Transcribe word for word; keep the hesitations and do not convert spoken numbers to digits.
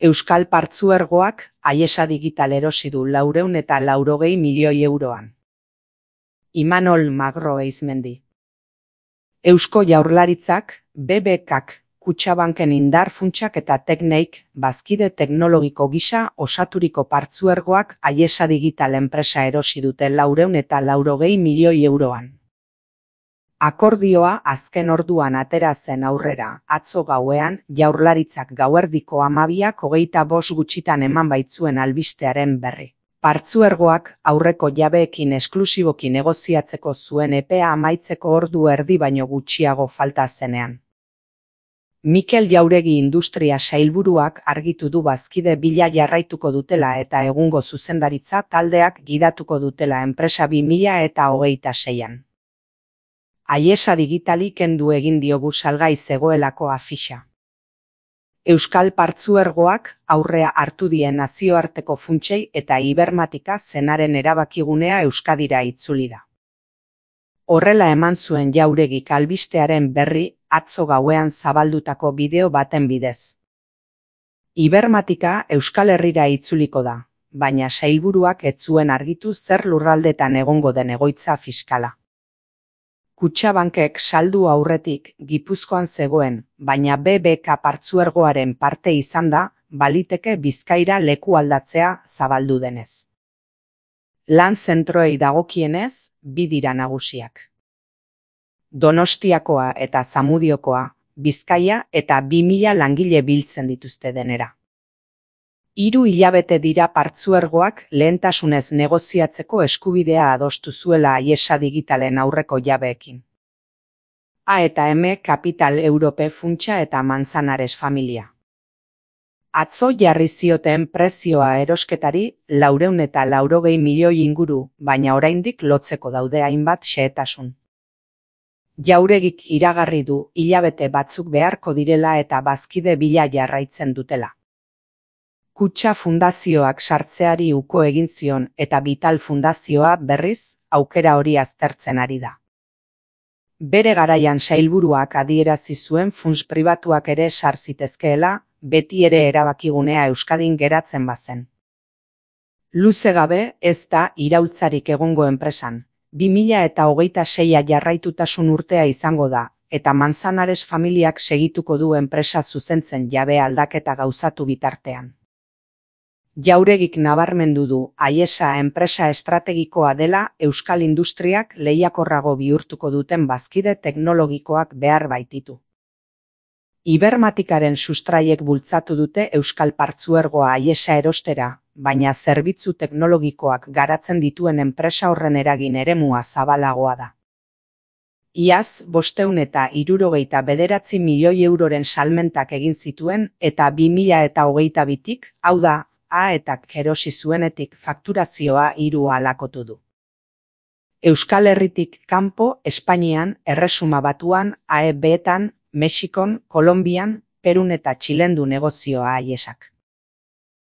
Euskal Partzuergoak Aiesa Digital erosi du laurehun eta laurogei milioi euroan. Imanol Magro Eizmendi. Eusko Jaurlaritzak, B B K-k, Kutxabanken indar funtsak eta tekneik, bazkide teknologiko gisa osaturiko partzuergoak Aiesa Digital enpresa erosi dute laurehun eta laurogei milioi euroan. Akordioa azken orduan atera zen aurrera, atzo gauean, Jaurlaritzak gauerdiko hamabiak hogeita bost gutxitan eman baitzuen albistearen berri. Partzuergoak aurreko jabeekin esklusiboki negoziatzeko zuen epea amaitzeko ordu erdi baino gutxiago falta zenean. Mikel Jauregi Industria Sailburuak argitu du bazkide bila jarraituko dutela eta egungo zuzendaritza taldeak gidatuko dutela enpresa bi mila eta hogeita seian. Aiesa Digitali kendu egin diogu salgai zegoelako afixa. Euskal Partzuergoak aurrea hartu die nazioarteko funtsei eta Ibermatika zenaren erabakigunea Euskadira itzuli da. Horrela eman zuen Jauregik albistearen berri atzo gauean zabaldutako bideo baten bidez. Ibermatika Euskal Herrira itzuliko da, baina sailburuak ez zuen argitu zer lurraldetan egongo den egoitza fiskala. Kutxabankek saldu aurretik Gipuzkoan zegoen, baina B B K Partzuergoaren parte izan da, baliteke Bizkaira leku aldatzea zabaldu denez. Lan zentroei dagokienez, bi dira nagusiak. Donostiakoa eta Zamudiokoa, Bizkaia eta bi mila langile biltzen dituzte denera. Hiru hilabete dira Partzuergoak lehentasunez negoziatzeko eskubidea adostu zuela Aiesa Digitalen aurreko jabeekin. A eta M Capital Europe funtsa eta Manzanares familia. Atzo jarri zioten prezioa erosketari laurehun eta laurogei milioi inguru, baina oraindik lotzeko daude hainbat xehetasun. Jauregik iragarri du hilabete batzuk beharko direla eta bazkide bila jarraitzen dutela. Kutxa fundazioak sartzeari uko egin zion eta Vital fundazioa berriz aukera hori aztertzen ari da. Bere garaian sailburuak adierazi zuen funts pribatuak ere sar zitezkeela, beti ere erabakigunea Euskadin geratzen bazen. Luze gabe ez da iraultzarik egongo enpresan, bi mila eta hogeita seia jarraitutasun urtea izango da, eta Manzanares familiak segituko du enpresa zuzentzen jabe aldaketa gauzatu bitartean. Jauregik nabarmendu du Aiesa enpresa estrategikoa dela Euskal Industriak lehiakorrago bihurtuko duten bazkide teknologikoak behar baititu. Ibermatikaren sustraiek bultzatu dute Euskal Partzuergoa Aiesa erostera, baina zerbitzu teknologikoak garatzen dituen enpresa horren eragin eremua zabalagoa da. Iaz bostehun eta hirurogeita bederatzi milioi euroren salmentak egin zituen eta bi mila eta hogeita bitik, hau da, A eta erosi zuenetik fakturazioa hiru alakotu du. Euskal Herritik kanpo Espainian, Erresuma Batuan, A E B-etan, Mexikon, Kolonbian, Perun eta Txilen du negozioa Aiesak.